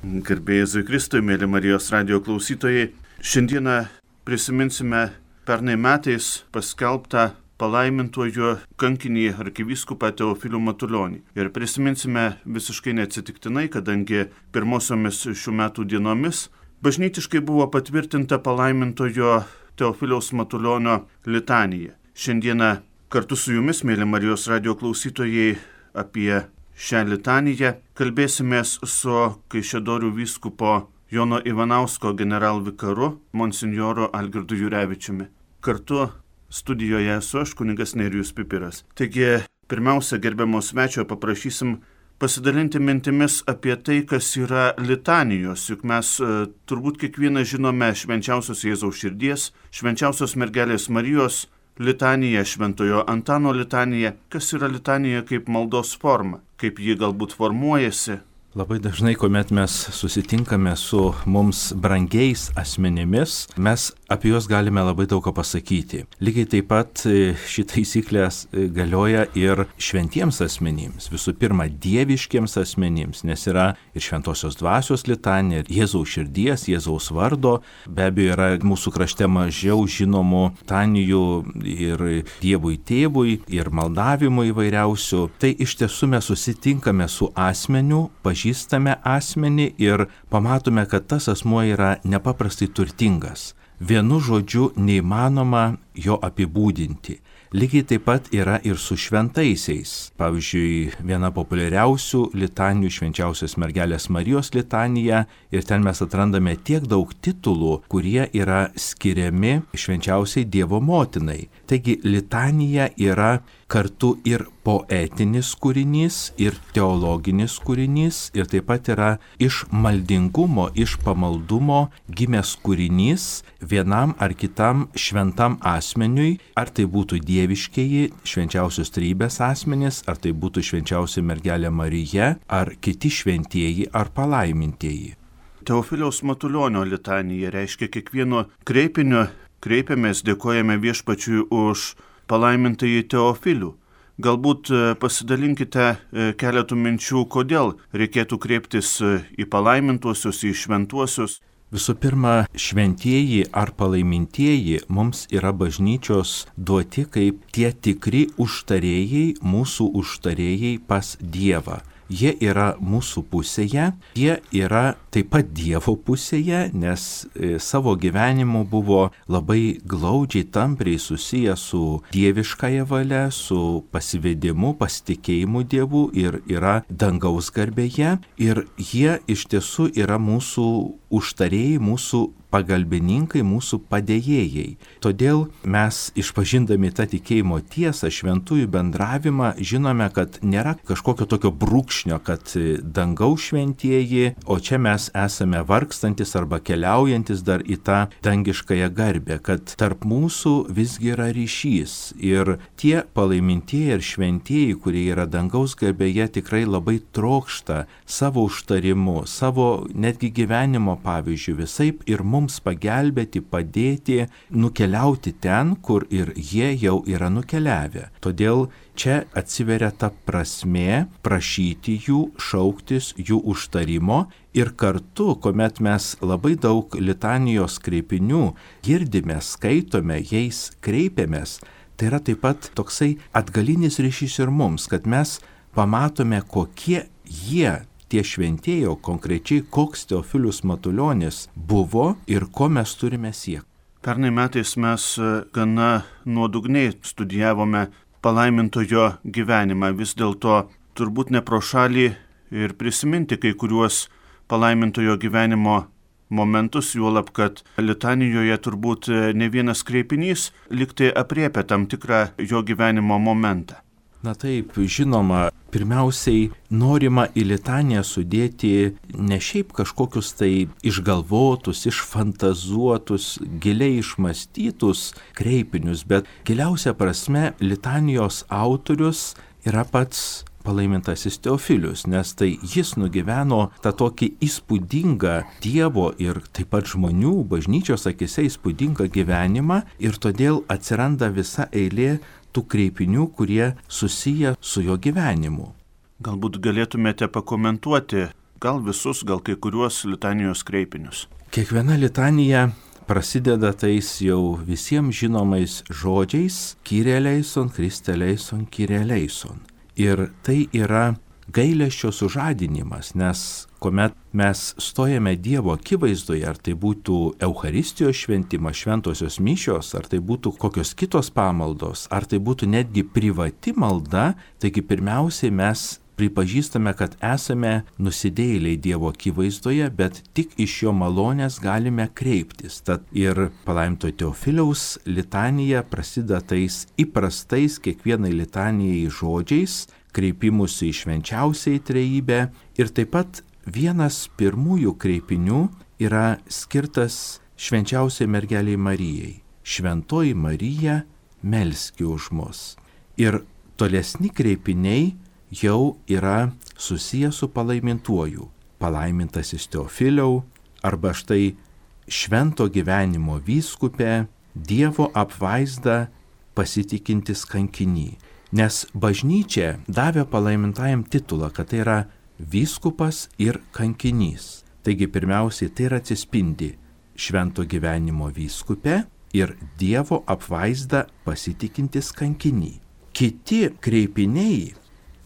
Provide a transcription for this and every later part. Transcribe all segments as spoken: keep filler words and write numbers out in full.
Garbė Jėzui Kristui, mėly Marijos radijo klausytojai. Šiandieną prisiminsime pernai metais paskelbtą palaimintuoju kankinį arkivyskupą Teofilių Matulionį. Ir prisiminsime visiškai neatsitiktinai, kadangi pirmosiomis šių metų dienomis bažnytiškai buvo patvirtinta palaimintojo Teofiliaus Matulionio litanija. Šiandieną kartu su jumis, mėly Marijos radijo klausytojai, apie šią litaniją kalbėsimės su Kaišiadorių vyskupo Jono Ivanausko generalvikaru monsinjoru Algirdu Jurevičiumi. Kartu studijoje esu aš, kunigas Nerijus Pipiras. Taigi, pirmiausia, gerbiamo svečio paprašysim pasidalinti mintimis apie tai, kas yra litanijos. Juk mes e, turbūt kiekvieną žinome švenčiausios Jėzaus širdies, švenčiausios mergelės Marijos litanija, šventojo Antano litanija. Kas yra litanija kaip maldos forma, kaip ji galbūt formuojasi? Labai dažnai, kuomet mes susitinkame su mums brangiais asmenimis, mes apie juos galime labai daug ką pasakyti. Lygiai taip pat ši taisyklė galioja ir šventiems asmenims. Visų pirma, dieviškiems asmenims, nes yra ir šventosios dvasios litanija, ir Jėzaus širdies, Jėzaus vardo. Be abejo, yra mūsų krašte mažiau žinomų litanijų ir Dievui tėvui, ir maldavimų įvairiausių. Tai iš tiesų mes susitinkame su asmeniu, pažįstame asmenį ir pamatome, kad tas asmuo yra nepaprastai turtingas. Vienu žodžiu neįmanoma jo apibūdinti. Lygiai taip pat yra ir su šventaisiais. Pavyzdžiui, viena populiariausių litanijų švenčiausios mergelės Marijos litanija, ir ten mes atrandame tiek daug titulų, kurie yra skiriami švenčiausiai Dievo motinai. Taigi litanija yra kartu ir poetinis kūrinys, ir teologinis kūrinys, ir taip pat yra iš maldingumo, iš pamaldumo gimęs kūrinys vienam ar kitam šventam asmeniui, ar tai būtų dieviškieji švenčiausios trejybės asmenys, ar tai būtų švenčiausia mergelė Marija, ar kiti šventieji ar palaimintieji. Teofiliaus Matulionio litanija reiškia kiekvieno kreipinio kreipiamės, dėkojame Viešpačiui už palaimintąjį Teofilių. Galbūt pasidalinkite keletų minčių, kodėl reikėtų kreiptis į palaimintuosius, į šventuosius. Visų pirma, šventieji ar palaimintieji mums yra bažnyčios duoti kaip tie tikri užtarėjai, mūsų užtarėjai pas Dievą. Jie yra mūsų pusėje, jie yra taip pat Dievo pusėje, nes savo gyvenimu buvo labai glaudžiai, tampriai susiję su dieviškąja valia, su pasivedimu, pasitikėjimu Dievu ir yra dangaus garbėje. Ir jie iš tiesų yra mūsų užtarėjai, mūsų pagalbininkai, mūsų padėjėjai. Todėl mes, išpažindami tą tikėjimo tiesą, šventųjų bendravimą, žinome, kad nėra kažkokio tokio brūkšnio, kad dangaus šventieji, o čia mes esame vargstantis arba keliaujantis dar į tą dangiškąją garbę, kad tarp mūsų visgi yra ryšys. Ir tie palaimintieji ir šventieji, kurie yra dangaus garbėje, tikrai labai trokšta savo užtarimu, savo netgi gyvenimo pavyzdžių visaip ir mums mums pagelbėti, padėti, nukeliauti ten, kur ir jie jau yra nukeliavę. Todėl čia atsiveria ta prasmė prašyti jų, šauktis jų užtarimo ir kartu, kuomet mes labai daug litanijos kreipinių girdime, skaitome, jais kreipiamės, tai yra taip pat toksai atgalinis ryšys ir mums, kad mes pamatome, kokie jie tie šventieji, o konkrečiai koks Teofilius Matulionis buvo ir ko mes turime siekti. Pernai metais mes gana nuodugniai studijavome palaimintojo gyvenimą. Vis dėlto turbūt ne pro šalį ir prisiminti kai kuriuos palaimintojo gyvenimo momentus, juolab, kad litanijoje turbūt ne vienas kreipinys liktai apriepia tam tikrą jo gyvenimo momentą. Na taip, žinoma, pirmiausiai norima į litaniją sudėti ne šiaip kažkokius tai išgalvotus, išfantazuotus, giliai išmąstytus kreipinius, bet giliausia prasme litanijos autorius yra pats palaimintasis Teofilius, nes tai jis nugyveno tą tokį įspūdingą Dievo ir taip pat žmonių bažnyčios akise įspūdingą gyvenimą ir todėl atsiranda visa eilė tų kreipinių, kurie susiję su jo gyvenimu. Galbūt galėtumėte pakomentuoti gal visus, gal kai kuriuos litanijos kreipinius. Kiekviena litanija prasideda tais jau visiems žinomais žodžiais Kyrie eleison, Kriste eleison, Kyrie eleison. Ir tai yra gailesčio sužadinimas, nes kuomet mes stojame Dievo akivaizdoje, ar tai būtų Eucharistijos šventimas, šventosios mišios, ar tai būtų kokios kitos pamaldos, ar tai būtų netgi privati malda, taigi pirmiausiai mes pripažįstame, kad esame nusidėjėliai Dievo akivaizdoje, bet tik iš jo malonės galime kreiptis. Tad ir palaiminto Teofiliaus litanija prasideda tais įprastais kiekvienai litanijai žodžiais, kreipimusi į švenčiausiai trejybę. Ir taip pat vienas pirmųjų kreipinių yra skirtas švenčiausiai mergeliai Marijai. Šventoji Marija, melski už mus. Ir tolesni kreipiniai jau yra susijęs su palaimintuoju. Palaimintasis Teofiliau, arba štai švento gyvenimo vyskupė, Dievo apvaizda pasitikintis kankinį. Nes bažnyčia davė palaimintajam titulą, kad tai yra vyskupas ir kankinys. Taigi pirmiausiai tai yra atsispindi švento gyvenimo vyskupė ir Dievo apvaizda pasitikintis kankinį. Kiti kreipiniai,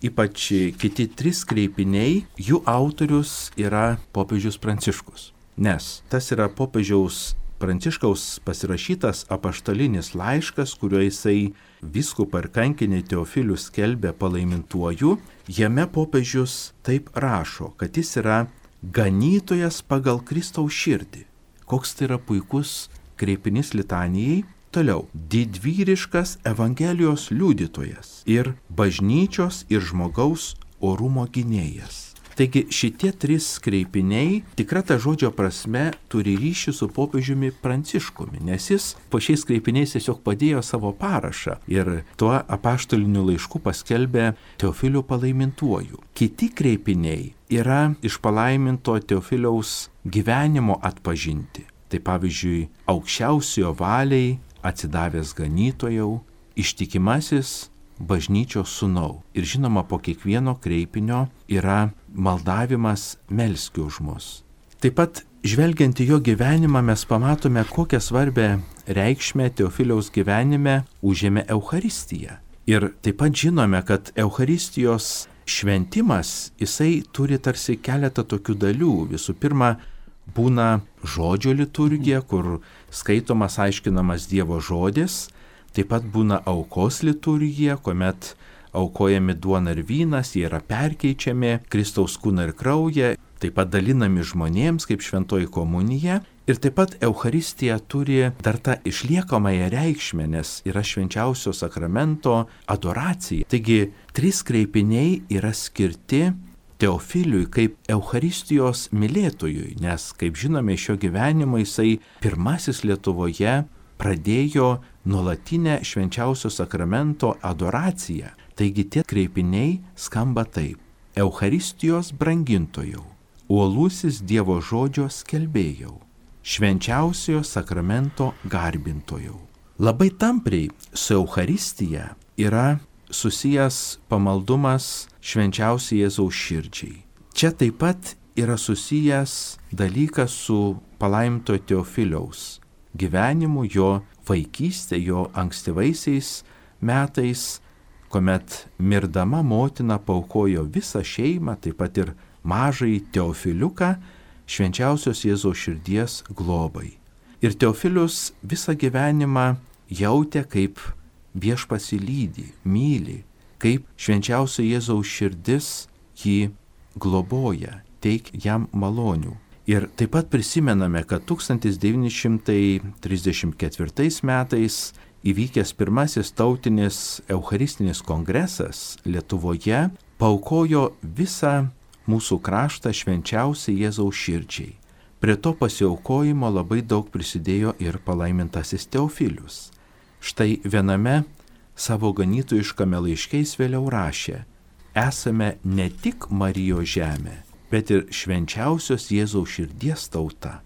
ypač kiti trys kreipiniai, jų autorius yra popiežius Pranciškus. Nes tas yra popiežiaus Pranciškaus pasirašytas apaštalinis laiškas, kuriuo jisai vyskupą ir kankinį Teofilių skelbė palaimintuoju. Jame popiežius taip rašo, kad jis yra ganytojas pagal Kristaus širdį. Koks tai yra puikus kreipinys litanijai. Toliau, didvyriškas Evangelijos liudytojas ir bažnyčios ir žmogaus orumo gynėjas. Taigi šitie trys kreipiniai tikra ta žodžio prasme turi ryšį su popiežiumi Pranciškumi, nes jis po šiais kreipiniais tiesiog padėjo savo parašą ir tuo apaštaliniu laišku paskelbė Teofilių palaimintuoju. Kiti kreipiniai yra iš palaiminto Teofiliaus gyvenimo atpažinti. Tai pavyzdžiui, aukščiausiojo valiai atsidavęs ganytojau, ištikimasis bažnyčios sūnau. Ir žinoma, po kiekvieno kreipinio yra maldavimas melski už mus. Taip pat, žvelgiant į jo gyvenimą, mes pamatome, kokią svarbę reikšmę Teofiliaus gyvenime užėmė Eucharistija. Ir taip pat žinome, kad Eucharistijos šventimas, jisai turi tarsi keletą tokių dalių. Visų pirma, būna žodžio liturgija, kur skaitomas, aiškinamas Dievo žodis. Taip pat būna aukos liturgija, kuomet aukojami duona ir vynas, jie yra perkeičiami, Kristaus kūną ir kraują, taip pat dalinami žmonėms kaip šventoji komunija. Ir taip pat Eucharistija turi dar tą išliekamąją reikšmę, nes yra švenčiausio sakramento adoracija. Taigi, trys kreipiniai yra skirti Teofiliui kaip Eucharistijos mylėtojui, nes, kaip žinome, iš jo gyvenimo jisai pirmasis Lietuvoje pradėjo nuolatinę švenčiausio sakramento adoraciją. Taigi tie kreipiniai skamba taip: Eucharistijos brangintojau, uolusis Dievo žodžio skelbėjau, švenčiausiojo sakramento garbintojau. Labai tampriai su Eucharistija yra susijęs pamaldumas švenčiausiai Jėzaus širdžiai. Čia taip pat yra susijęs dalykas su palaiminto Teofiliaus gyvenimu, jo vaikystė, jo ankstyvaisiais metais, kuomet mirdama motina paaukojo visą šeimą, taip pat ir mažąjį Teofiliuką, švenčiausios Jėzaus širdies globai. Ir Teofilius visą gyvenimą jautė, kaip viešpats jį lydi, myli, kaip švenčiausio Jėzaus širdis jį globoja, teik jam malonių. Ir taip pat prisimename, kad tūkstantis devyni šimtai trisdešimt ketvirtais metais įvykęs pirmasis tautinis eucharistinis kongresas Lietuvoje paaukojo visą mūsų kraštą švenčiausiai Jėzaus širdžiai. Prie to pasiaukojimo labai daug prisidėjo ir palaimintasis Teofilius. Štai viename savo ganytojiškame laiške jis vėliau rašė: esame ne tik Marijos žemė, bet ir švenčiausios Jėzaus širdies tauta.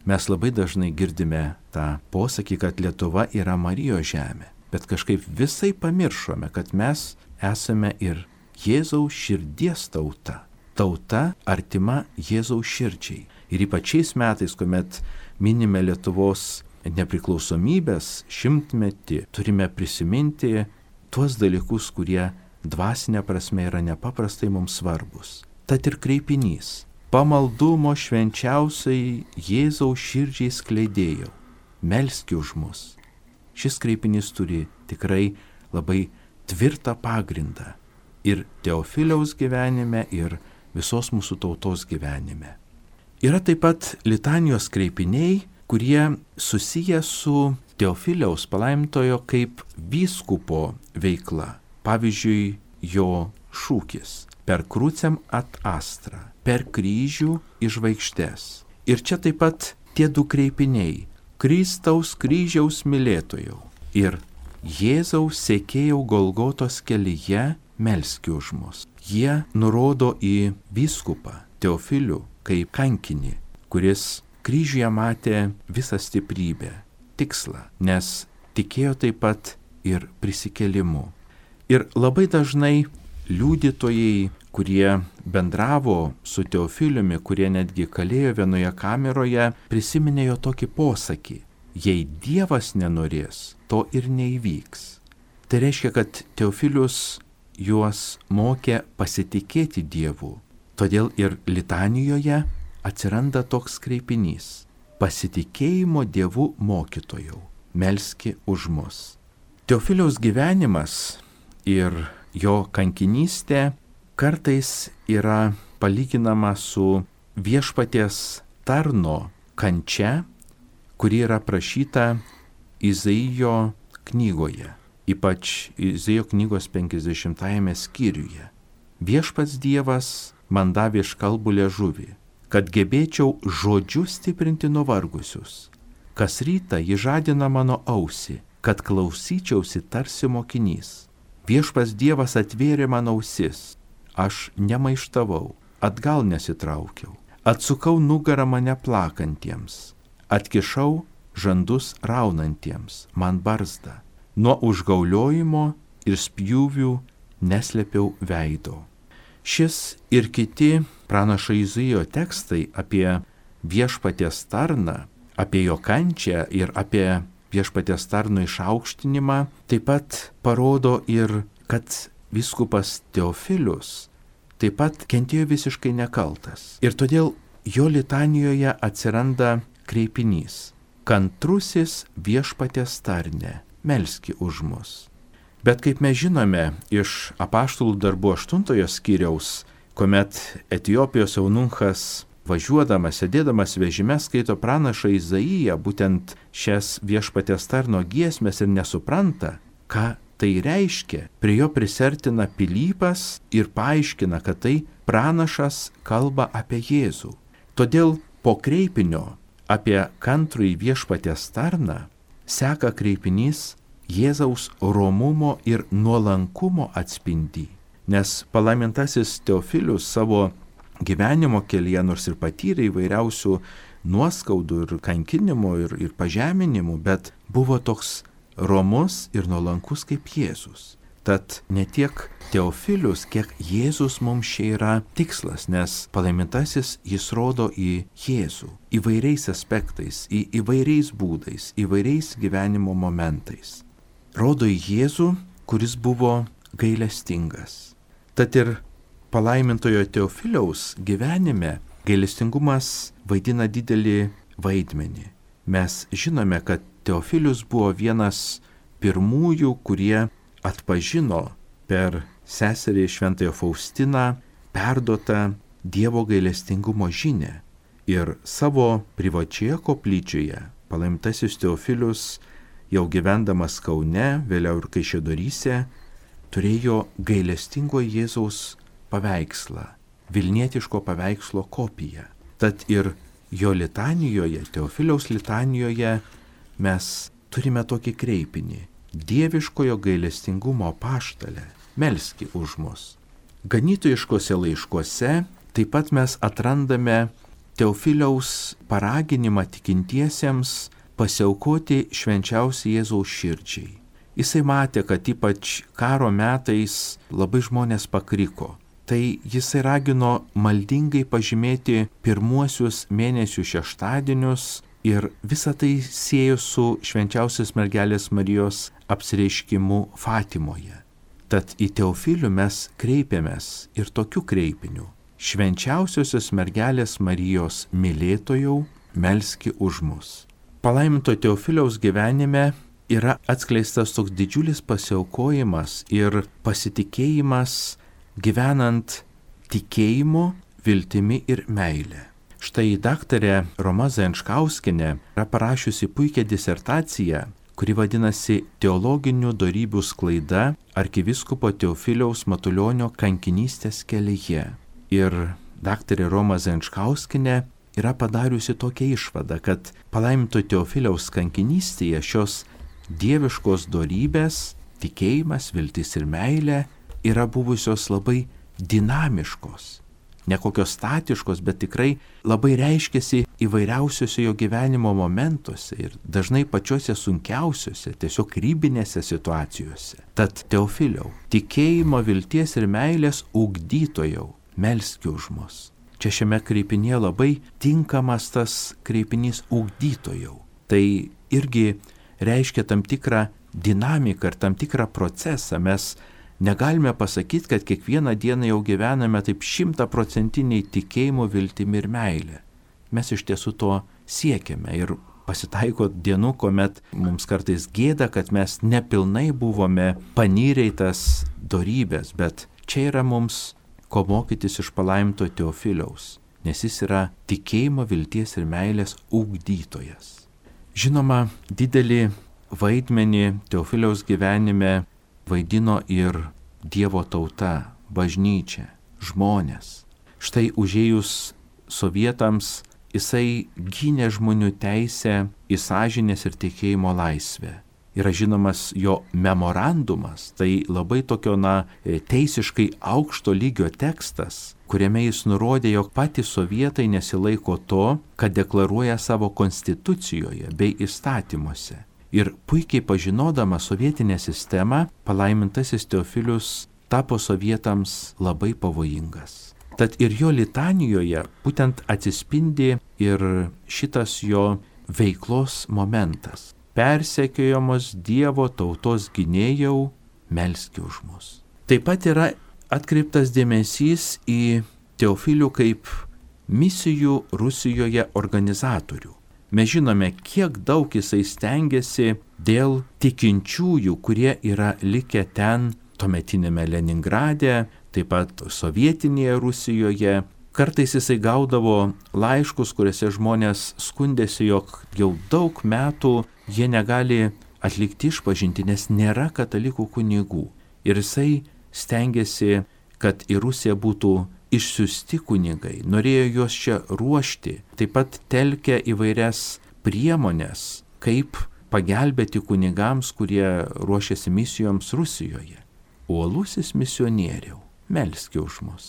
Mes labai dažnai girdime tą posakį, kad Lietuva yra Marijos žemė, bet kažkaip visai pamiršome, kad mes esame ir Jėzaus širdies tauta. tauta artima Jėzaus širdžiai. Ir ypač šiais metais, kuomet minime Lietuvos nepriklausomybės šimtmetį, turime prisiminti tuos dalykus, kurie dvasinė prasme yra nepaprastai mums svarbus. Tad ir kreipinys. Pamaldumo švenčiausiai Jėzaus širdžiai skleidėjau, melski už mus. Šis kreipinys turi tikrai labai tvirtą pagrindą ir Teofiliaus gyvenime, ir visos mūsų tautos gyvenime. Yra taip pat litanijos kreipiniai, kurie susiję su Teofiliaus palaimintojo kaip vyskupo veikla. Pavyzdžiui, jo šūkis per krucem at astra, per kryžių į žvaigždes. Ir čia taip pat tie du kreipiniai - Kristaus kryžiaus mylėtojau ir Jėzaus sekėjau Golgotos kelyje, melski už mus. Jie nurodo į vyskupą Teofilių kaip kankinį, kuris kryžiuje matė visą stiprybę, tikslą, nes tikėjo taip pat ir prisikėlimu. Ir labai dažnai liudytojai, kurie bendravo su Teofiliumi, kurie netgi kalėjo vienoje kameroje, prisiminė jo tokį posakį: jei Dievas nenorės, to ir neįvyks. Tai reiškia, kad Teofilius juos mokė pasitikėti Dievu. Todėl ir litanijoje atsiranda toks kreipinys: pasitikėjimo Dievu mokytojau, melski už mus. Teofiliaus gyvenimas ir jo kankinystė kartais yra palyginama su viešpaties tarno kančia, kuri yra prašyta Izaijo knygoje, ypač Izaijo knygos penkiasdešimtajame skyriuje. Viešpats Dievas man davė iškalbų liežuvį, kad gebėčiau žodžiu stiprinti nuvargusius. Kas rytą ji žadina mano ausį, kad klausyčiausi tarsi mokinys. Viešpats Dievas atvėrė man ausis, aš nemaištavau, atgal nesitraukiau, atsukau nugarą mane plakantiems, atkišau žandus raunantiems, man barzdą, nuo užgauliojimo ir spjūvių neslėpiau veido. Šis ir kiti pranašo Izaijo tekstai apie viešpaties tarną, apie jo kančią ir apie viešpaties tarno išaukštinimą taip pat parodo ir, kad vyskupas Teofilius taip pat kentėjo visiškai nekaltas. Ir todėl jo litanijoje atsiranda kreipinys: kantrusis viešpaties tarne, melski už mus. Bet kaip mes žinome iš apaštalų darbų aštuntojo skyriaus, kuomet Etiopijos eunuchas važiuodamas, sėdėdamas vežime skaito pranašą Izaiją, būtent šias viešpaties tarno giesmes ir nesupranta, ką tai reiškia. Prie jo prisertina Pilypas ir paaiškina, kad tai pranašas kalba apie Jėzų. Todėl po kreipinio apie kantrųjį viešpaties tarną seka kreipinys Jėzaus romumo ir nuolankumo atspindį. Nes palaimintasis Teofilius savo gyvenimo kelyje, nors ir patyrė įvairiausių nuoskaudų ir kankinimų ir, ir pažeminimų, bet buvo toks romus ir nuolankus kaip Jėzus. Tad ne tiek Teofilius, kiek Jėzus mums čia yra tikslas, nes palaimintasis jis rodo į Jėzų įvairiais aspektais, į įvairiais būdais, įvairiais gyvenimo momentais. Rodo į Jėzų, kuris buvo gailestingas. Tad ir palaimintojo Teofiliaus gyvenime gailestingumas vaidina didelį vaidmenį. Mes žinome, kad Teofilius buvo vienas pirmųjų, kurie atpažino per seserį Šventąją Faustiną perduotą Dievo gailestingumo žinią. Ir savo privačioje koplyčioje palaimintasis Teofilius, jau gyvendamas Kaune, vėliau ir Kaišiadoryse, turėjo gailestingo Jėzaus paveikslą, vilnietiško paveikslo kopiją. Tad ir jo litanijoje, Teofiliaus litanijoje mes turime tokį kreipinį: dieviškojo gailestingumo apaštale, melski už mus. Ganytojiškose laiškuose taip pat mes atrandame Teofiliaus paraginimą tikintiesiems pasiaukoti švenčiausiai Jėzaus širdžiai. Jisai matė, kad ypač karo metais labai žmonės pakriko. tai jisai ragino maldingai pažymėti pirmuosius mėnesių šeštadienius ir visą tai siejo su švenčiausios mergelės Marijos apsireiškimu Fatimoje. Tad į Teofilių mes kreipiamės ir tokiu kreipiniu: švenčiausiosios mergelės Marijos mylėtojau, melski už mus. Palaiminto Teofiliaus gyvenime yra atskleistas toks didžiulis pasiaukojimas ir pasitikėjimas gyvenant tikėjimu, viltimi ir meile. Štai daktarė Roma Zajančkauskienė yra parašiusi puikią disertaciją, kuri vadinasi Teologinių dorybių sklaida arkivyskupo Teofiliaus Matulionio kankinystės kelyje. Ir daktarė Roma Zajančkauskienė yra padariusi tokią išvadą, kad palaiminto Teofiliaus kankinystėje šios dieviškos dorybės, tikėjimas, viltis ir meilė yra buvusios labai dinamiškos, ne kokios statiškos, bet tikrai labai reiškiasi įvairiausiuose jo gyvenimo momentuose ir dažnai pačiuose sunkiausiuose, tiesiog ribinėse situacijose. Tad Teofiliau, tikėjimo, vilties ir meilės ugdytojau, melski už mus. Čia šiame kreipinėje labai tinkamas tas kreipinys ugdytojau. Tai irgi reiškia tam tikrą dinamiką ir tam tikrą procesą. Mes negalime pasakyti, kad kiekvieną dieną jau gyvename taip šimtaprocentiniai tikėjimo, viltimi ir meilė. Mes iš tiesų to siekiame ir pasitaiko dienų, kuomet mums kartais gėda, kad mes nepilnai buvome panyrę į tas dorybės, bet čia yra mums ko mokytis iš palaiminto Teofiliaus, nes jis yra tikėjimo, vilties ir meilės ugdytojas. Žinoma, didelį vaidmenį Teofiliaus gyvenime vaidino ir Dievo tauta, bažnyčia, žmonės. Štai užėjus sovietams jisai gynė žmonių teisę į sąžinės ir tikėjimo laisvę. Yra žinomas jo memorandumas, tai labai tokio, na, teisiškai aukšto lygio tekstas, kuriame jis nurodė, jog patys sovietai nesilaiko to, kad deklaruoja savo konstitucijoje bei įstatymuose. Ir puikiai pažinodama sovietinę sistemą, palaimintasis Teofilius tapo sovietams labai pavojingas. Tad ir jo litanijoje būtent atsispindi ir šitas jo veiklos momentas. Persekiojamos Dievo tautos gynėjau, melski už mus. Taip pat yra atkreiptas dėmesys į Teofilių kaip misijų Rusijoje organizatorių. Mes žinome, kiek daug jisai stengiasi dėl tikinčiųjų, kurie yra likę ten tuometinėme Leningrade, taip pat sovietinėje Rusijoje. Kartais jisai gaudavo laiškus, kuriuose žmonės skundėsi, jog jau daug metų jie negali atlikti išpažinti, nes nėra katalikų kunigų. Ir jisai stengiasi, kad į Rusiją būtų išsiųsti kunigai, norėjo juos čia ruošti, taip pat telkia įvairias priemonės, kaip pagelbėti kunigams, kurie ruošiasi misijoms Rusijoje. Uolusis misionieriau, melski už mus.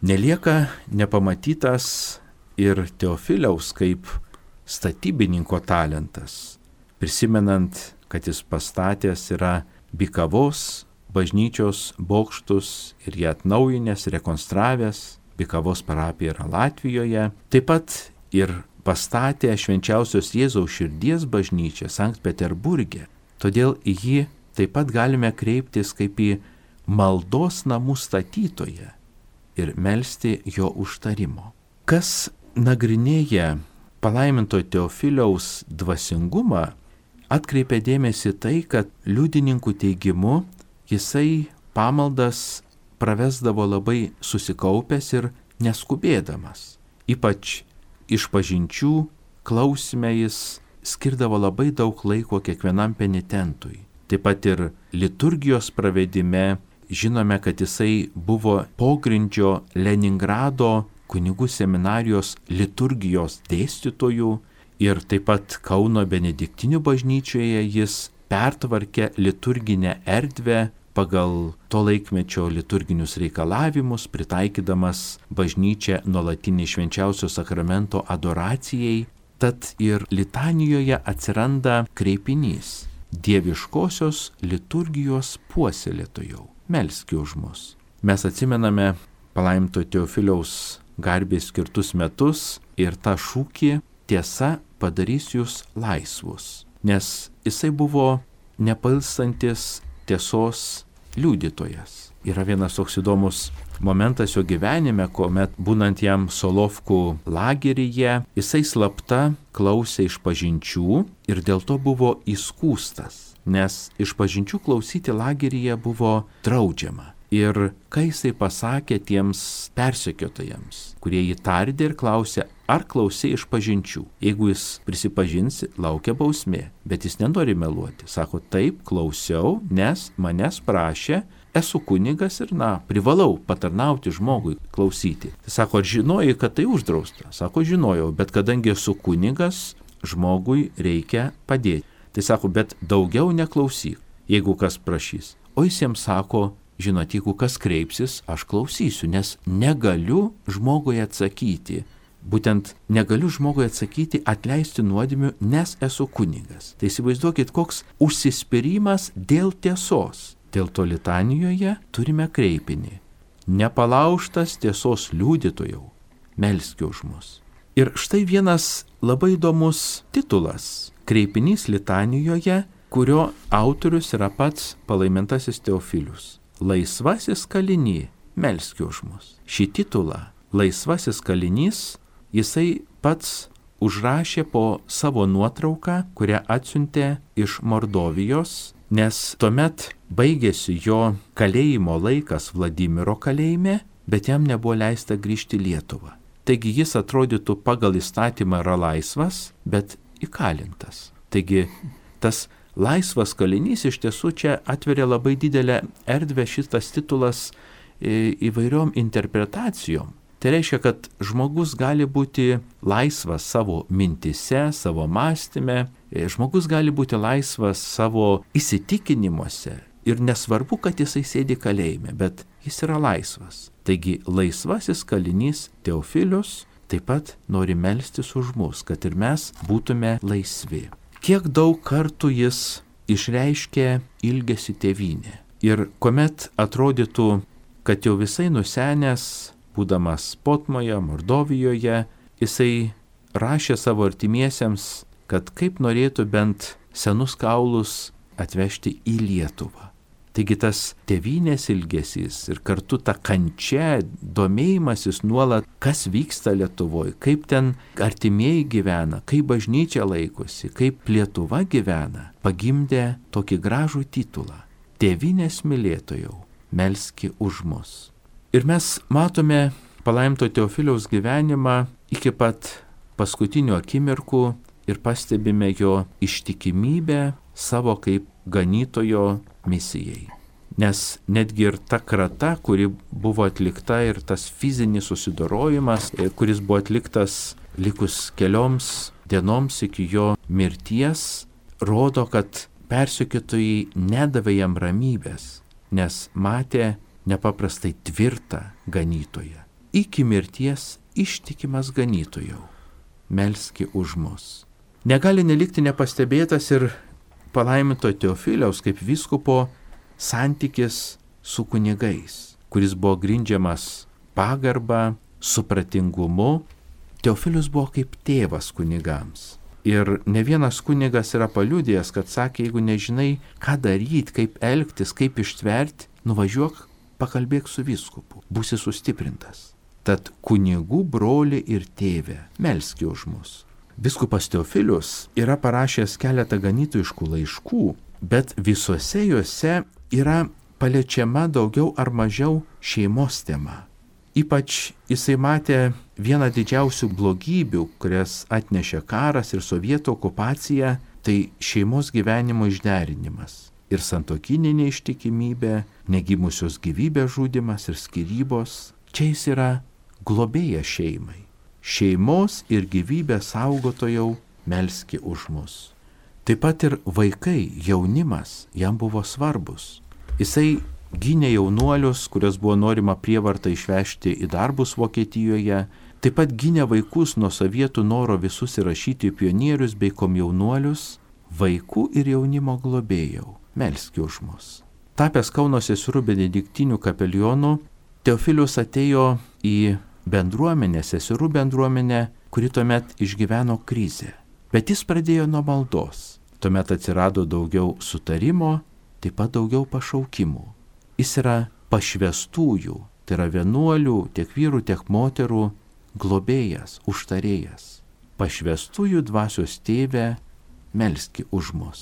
Nelieka nepamatytas ir Teofiliaus kaip statybininko talentas, prisimenant, kad jis pastatęs yra Bikavos bažnyčios bokštus ir jie atnaujinęs, rekonstravęs. Bikavos parapija yra Latvijoje. Taip pat ir pastatė Švenčiausios Jėzaus širdies bažnyčią Sankt Peterburge. Todėl į jį taip pat galime kreiptis kaip į maldos namų statytoją ir melsti jo užtarimo. Kas nagrinėja palaiminto Teofiliaus dvasingumą, atkreipia dėmesį tai, kad liudininkų teigimu jisai pamaldas pravesdavo labai susikaupęs ir neskubėdamas. Ypač išpažinčių klausime jis skirdavo labai daug laiko kiekvienam penitentui. Taip pat ir liturgijos pravedime žinome, kad jisai buvo pogrindžio Leningrado kunigų seminarijos liturgijos dėstytojų ir taip pat Kauno Benediktinių bažnyčioje jis pertvarkė liturginę erdvę pagal to laikmečio liturginius reikalavimus, pritaikydamas bažnyčią nuolatinį švenčiausio sakramento adoracijai. Tad ir litanijoje atsiranda kreipinys: dieviškosios liturgijos puoselėtojau, melski už mus. Mes atsimename palaiminto Teofiliaus garbės skirtus metus ir tą šūkį tiesa padarys jūs laisvus, nes jisai buvo nepailstantis tiesos liudytojas. Yra vienas toks įdomus momentas jo gyvenime, kuomet būnant jam Solovkų lageryje, jisai slapta klausė išpažinčių ir dėl to buvo įskųstas, nes išpažinčių klausyti lageryje buvo draudžiama. Ir kai jisai pasakė tiems persekiotojams, kurie jį tardė ir klausė, ar klausė išpažinčių. Jeigu jis prisipažins, laukia bausmė, bet jis nenori meluoti. Sako, taip, klausiau, nes manęs prašė, esu kunigas ir, na, privalau patarnauti žmogui, klausyti. Tai sako, ar žinojai, kad tai uždrausta? Sako, žinojau, bet kadangi esu kunigas, žmogui reikia padėti. Tai sako, bet daugiau neklausyk, jeigu kas prašys. O jis jiems sako, žinot, jeigu kas kreipsis, aš klausysiu, nes negaliu žmogui atsakyti. Būtent negaliu žmogui atsakyti atleisti nuodėmių, nes esu kunigas. Tai įsivaizduokit, koks užsispyrimas dėl tiesos. Dėl to litanijoje turime kreipinį. Nepalaužtas tiesos liudytojau, melski už mus. Ir štai vienas labai įdomus titulas. Kreipinys litanijoje, kurio autorius yra pats palaimintasis Teofilius. Laisvasis kalinys, melski už mus. Šį titulą, laisvasis kalinys, jisai pats užrašė po savo nuotrauką, kurią atsiuntė iš Mordovijos, nes tuomet baigėsi jo kalėjimo laikas Vladimiro kalėjime, bet jam nebuvo leista grįžti į Lietuvą. Taigi jis atrodytų pagal įstatymą yra laisvas, bet įkalintas. Taigi tas laisvas kalinys iš tiesų čia atveria labai didelę erdvę šitas titulas įvairiom interpretacijom. Tai reiškia, kad žmogus gali būti laisvas savo mintise, savo mąstyme, žmogus gali būti laisvas savo įsitikinimuose ir nesvarbu, kad jisai sėdi kalėjime, bet jis yra laisvas. Taigi laisvasis kalinys Teofilius taip pat nori melstis už mus, kad ir mes būtume laisvi. Kiek daug kartų jis išreiškė ilgesį tėvynę. Ir kuomet atrodytų, kad jau visai nusenęs, būdamas Potmoje, Mordovijoje, jisai rašė savo artimiesiems, kad kaip norėtų bent senus kaulus atvežti į Lietuvą. Taigi tas tėvynės ilgesys ir kartu ta kančia, domėjimasis nuolat, kas vyksta Lietuvoje, kaip ten artimieji gyvena, kaip bažnyčia laikosi, kaip Lietuva gyvena, pagimdė tokį gražų titulą. Tėvynės mylėtojau, melski už mus. Ir mes matome palaiminto Teofiliaus gyvenimą iki pat paskutinių akimirkų ir pastebime jo ištikimybę savo kaip ganytojo misijai. Nes netgi ir ta krata, kuri buvo atlikta ir tas fizinis susidorojimas, kuris buvo atliktas likus kelioms dienoms iki jo mirties, rodo, kad persekiotojai nedavė jam ramybės, nes matė nepaprastai tvirtą ganytoją. Iki mirties ištikimas ganytojau, melski už mus. Negali nelikti nepastebėtas ir palaiminto Teofiliaus kaip vyskupo santykis su kunigais, kuris buvo grindžiamas pagarba, supratingumu. Teofilius buvo kaip tėvas kunigams. Ir ne vienas kunigas yra paliudėjęs, kad sakė, jeigu nežinai, ką daryti, kaip elgtis, kaip ištverti, nuvažiuok, pakalbėk su vyskupu, būsi sustiprintas. Tad kunigų broli ir tėvė, melski už mus. Vyskupas Teofilius yra parašęs keletą ganytojiškų laiškų, bet visuose juose yra paliečiama daugiau ar mažiau šeimos tema. Ypač jisai matė vieną didžiausių blogybių, kurias atnešė karas ir sovietų okupacija, tai šeimos gyvenimo išderinimas. Ir santuokinė neištikimybė, negimusios gyvybės žudymas ir skyrybos. Čia jis yra globėjas šeimai. Šeimos ir gyvybės saugotojau, melski už mus. Taip pat ir vaikai, jaunimas jam buvo svarbus. Jisai gynė jaunuolius, kurios buvo norima prievartą išvežti į darbus Vokietijoje. Taip pat gynė vaikus nuo sovietų noro visus įrašyti į pionierius bei komjaunuolius. Vaikų ir jaunimo globėjau, melski už mus. Tapęs Kauno seserų benediktinių kapelionu, Teofilius atėjo į bendruomenę, seserų bendruomenę, kuri tuomet išgyveno krizę. Bet jis pradėjo nuo maldos. Tuomet atsirado daugiau sutarimo, taip pat daugiau pašaukimų. Jis yra pašvestųjų, tai yra vienuolių, tiek vyrų, tiek moterų globėjas, užtarėjas. Pašvestųjų dvasios tėve, melski už mus.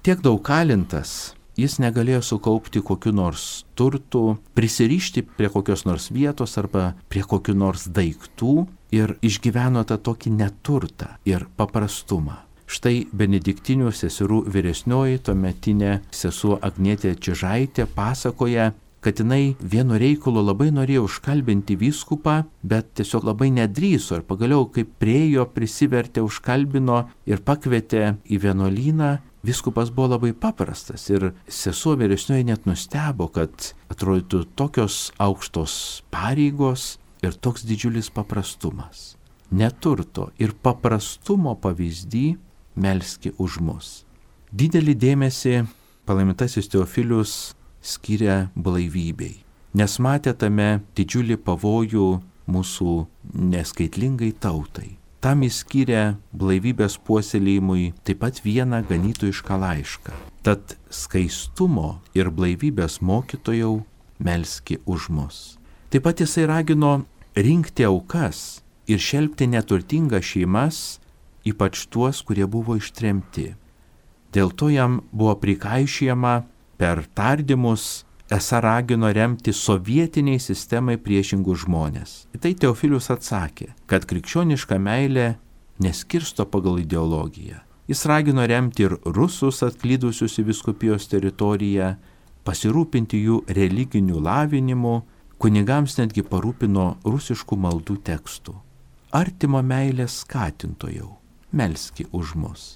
Tiek daug kalintas, jis negalėjo sukaupti kokiu nors turtų, prisirišti prie kokios nors vietos arba prie kokių nors daiktų ir išgyveno tą tokį neturtą ir paprastumą. Štai benediktinių seserų vyresnioji, tuometinė sesuo Agnietė Čižaitė pasakoja, kad jinai vienu reikalu labai norėjo užkalbinti vyskupą, bet tiesiog labai nedrįso ir pagaliau, kaip priejo, prisivertė, užkalbino ir pakvietė į vienuolyną. Vyskupas buvo labai paprastas ir sesuo vyresnioji net nustebo, kad atrodytų tokios aukštos pareigos ir toks didžiulis paprastumas. Neturto ir paprastumo pavyzdį melski už mus. Didelį dėmesį palaimintasis Teofilius skiria blaivybei, nes matė tame didžiulį pavojų mūsų neskaitlingai tautai. Tam jis skiria blaivybės puoselėjimui taip pat vieną ganytojišką laišką. Tad skaistumo ir blaivybės mokytojau melski už mus. Taip pat jisai ragino rinkti aukas ir šelpti neturtingas šeimas, ypač tuos, kurie buvo ištremti. Dėl to jam buvo prikaišijama per tardymus, esą ragino remti sovietiniai sistemai priešingus žmonės. Į tai Teofilius atsakė, kad krikščioniška meilė neskirsto pagal ideologiją. Jis ragino remti ir rusus atklydusius į vyskupijos teritoriją, pasirūpinti jų religiniu lavinimu, kunigams netgi parūpino rusiškų maldų tekstų. Artimo meilės skatintojau, melski už mus.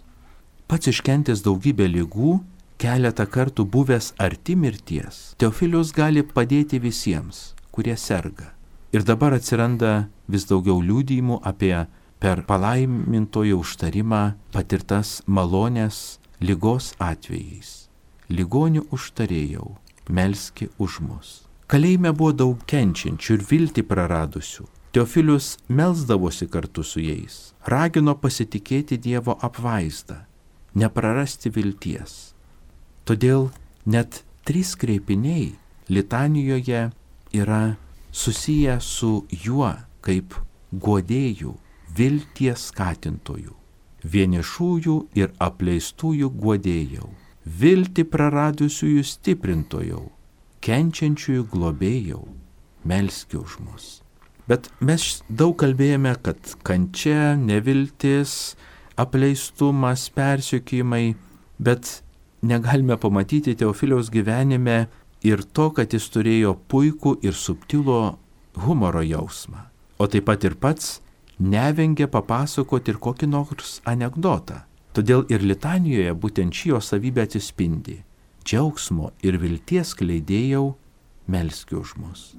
Pats iškentęs daugybę ligų, keletą kartų buvęs arti mirties, Teofilius gali padėti visiems, kurie serga. Ir dabar atsiranda vis daugiau liudijimų apie per palaimintojo užtarimą patirtas malonės ligos atvejais. Ligonių užtarėjau, melski už mus. Kalėjime buvo daug kenčiančių ir viltį praradusių. Teofilius melsdavosi kartu su jais, ragino pasitikėti Dievo apvaizdą, neprarasti vilties. Todėl net trys kreipiniai litanijoje yra susiję su juo kaip guodėjų, vilties skatintojų, vienišųjų ir apleistųjų guodėjau, viltį praradusiųjų stiprintojau, kenčiančiųjų globėjau, melski už mus. Bet mes daug kalbėjome, kad kančia, neviltis, apleistumas, persekiojimai, bet negalime pamatyti Teofiliaus gyvenime ir to, kad jis turėjo puikų ir subtilų humoro jausmą. O taip pat ir pats nevengė papasakoti ir kokį nors anekdotą. Todėl ir litanijoje būtent ši jo savybė atsispindi. Džiaugsmo ir vilties skleidėjau, melski už mus.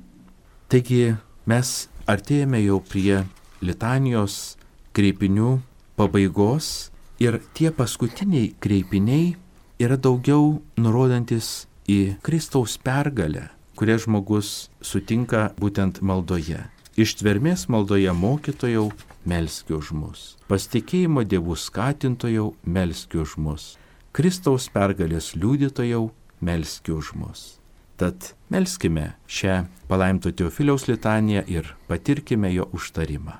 Taigi mes artėjame jau prie litanijos kreipinių pabaigos ir tie paskutiniai kreipiniai yra daugiau nurodantis į Kristaus pergalę, kurią žmogus sutinka būtent maldoje. Ištvermės maldoje mokytojau, melski už mus. Pasitikėjimo Dievų skatintojau, melski už mus. Kristaus pergalės liudytojau, melski už mus. Tad melskime šią palaiminto Teofiliaus litaniją ir patirkime jo užtarimą.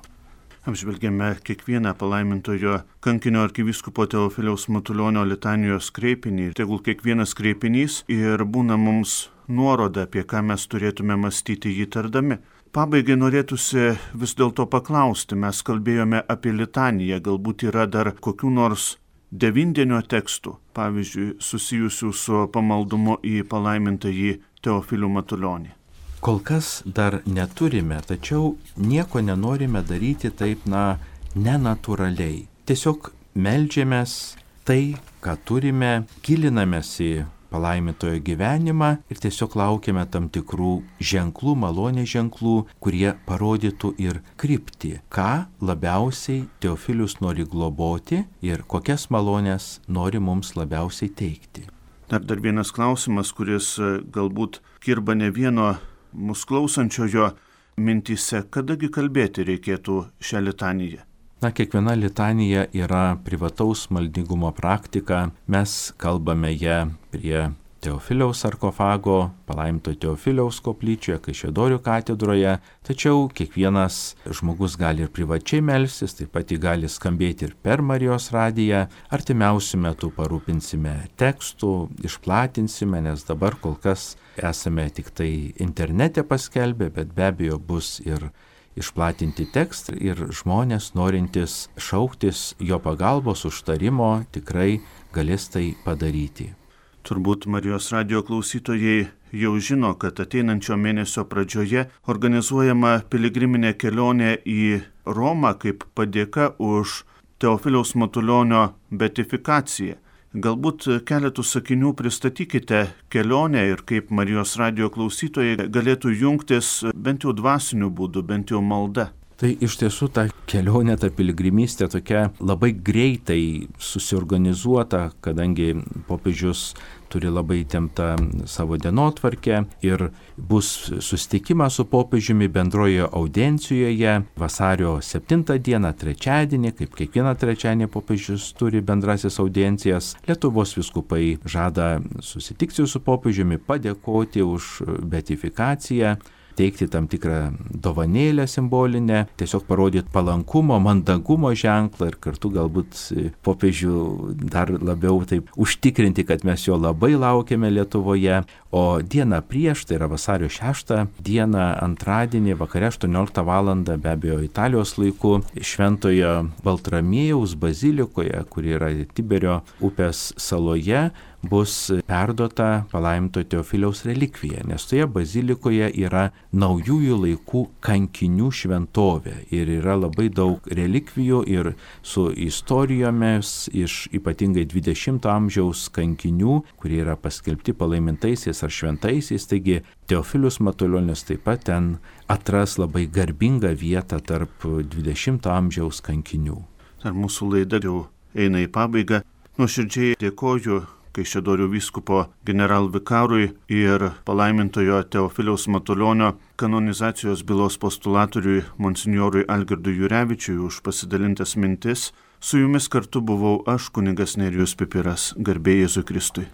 Apžvelgėme kiekvieną palaimintojo kankinio arkivyskupo Teofiliaus Matulionio litanijos kreipinį. Tegul kiekvienas kreipinys ir būna mums nuoroda, apie ką mes turėtume mąstyti jį tardami. Pabaigai norėtųsi vis dėlto paklausti, mes kalbėjome apie litaniją, galbūt yra dar kokių nors devindienio tekstų, pavyzdžiui, susijusių su pamaldumu į palaimintąjį Teofilių Matulionį. Kol kas dar neturime, tačiau nieko nenorime daryti taip, na, nenatūraliai. Tiesiog meldžiamės tai, ką turime, gilinamės į palaimintojo gyvenimą ir tiesiog laukiame tam tikrų ženklų, malonės ženklų, kurie parodytų ir kryptį, ką labiausiai Teofilius nori globoti ir kokias malonės nori mums labiausiai teikti. Dar, dar vienas klausimas, kuris galbūt kirba ne vieno mūsų klausančiojo mintyse, kadagi kalbėti reikėtų šią litaniją? Na, kiekviena litanija yra privataus maldingumo praktika. Mes kalbame ją prie Teofiliaus sarkofago, palaiminto Teofiliaus koplyčioje, Kaišiadorių katedroje, tačiau kiekvienas žmogus gali ir privačiai melstis, taip pat jį gali skambėti ir per Marijos radiją. Artimiausiu metu parūpinsime tekstų, išplatinsime, nes dabar kol kas esame tik tai internete paskelbę, bet be abejo bus ir išplatinti tekstai ir žmonės norintys šauktis jo pagalbos užtarimo tikrai galės tai padaryti. Turbūt Marijos radijo klausytojai jau žino, kad ateinančio mėnesio pradžioje organizuojama piligriminė kelionė į Romą kaip padėka už Teofiliaus Matulionio beatifikaciją. Galbūt keletų sakinių pristatykite kelionę ir kaip Marijos radijo klausytojai galėtų jungtis bent jau dvasiniu būdu, bent jau malda. Tai iš tiesų ta kelionė, ta piligrimystė tokia labai greitai susiorganizuota, kadangi popiežius turi labai įtemptą savo dienotvarkę ir bus susitikimas su popiežiumi bendroje audiencijoje vasario septintą dieną, trečiadienį, kaip kiekvieną trečiadienį popiežius turi bendrasis audiencijas. Lietuvos vyskupai žada susitikti su popiežiumi, padėkoti už beatifikaciją, teikti tam tikrą dovanėlę simbolinę, tiesiog parodyti palankumo, mandagumo ženklą ir kartu galbūt popiežių dar labiau taip užtikrinti, kad mes jo labai laukiame Lietuvoje. O dieną prieš, tai yra vasario šeštą dieną, antradienį, vakare aštuonioliktą valandą, be abejo Italijos laiku, Šventojo Baltramiejaus bazilikoje, kuri yra Tiberio upės saloje, bus perduota palaiminto Teofiliaus relikvija, nes toje bazilikoje yra naujųjų laikų kankinių šventovė ir yra labai daug relikvijų ir su istorijomis iš ypatingai dvidešimto amžiaus kankinių, kurie yra paskelbti palaimintaisiais ar šventaisiais, taigi Teofilius Matulionis taip pat ten atras labai garbingą vietą tarp dvidešimto amžiaus kankinių. Ar mūsų laida jau eina į pabaigą? Nuoširdžiai dėkoju Kaišiadorių vyskupo generalvikarui ir palaimintojo Teofiliaus Matulionio kanonizacijos bylos postulatoriui monsinjorui Algirdui Jurevičiui už pasidalintas mintis. Su jumis kartu buvau aš, kunigas Nerijus Pipiras. Garbė Jėzui Kristui.